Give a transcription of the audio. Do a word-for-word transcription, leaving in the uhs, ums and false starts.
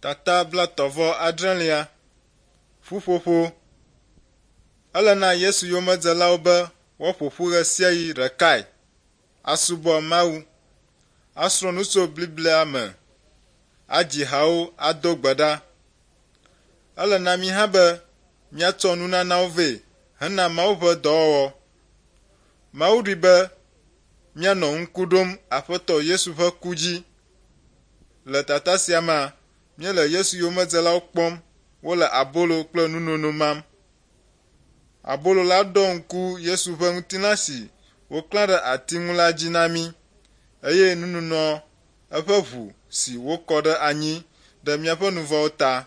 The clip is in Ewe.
Tata blaetɔ̃ vɔ adrelia. Ƒuƒoƒo. Ele na Yesu yomedzelawo be woaƒo ƒu ɣe sia ɣi ɖekae, asubɔ Mawu, asrɔ̃ nu tso Biblia me, adzi hawo ado gbe ɖa. Ele na mí hã be míatsɔ nunanawo vɛ hena Mawu ƒe dɔwɔwɔ. Mawu ɖoe be míanɔ ŋku ɖom Aƒetɔ Yesu ƒe ku dzi. Le tata sia mea, míele Yesu yomedzelawo kpɔm wole abolo kple nunono mam. Abolo la ɖɔ ŋku Yesu ƒe ŋutilã si woklã ɖe ati ŋu la dzi na mí eye nunonoa eƒe ʋu si wokɔ ɖe anyi ɖe míaƒe nu vɔ̃wo ta.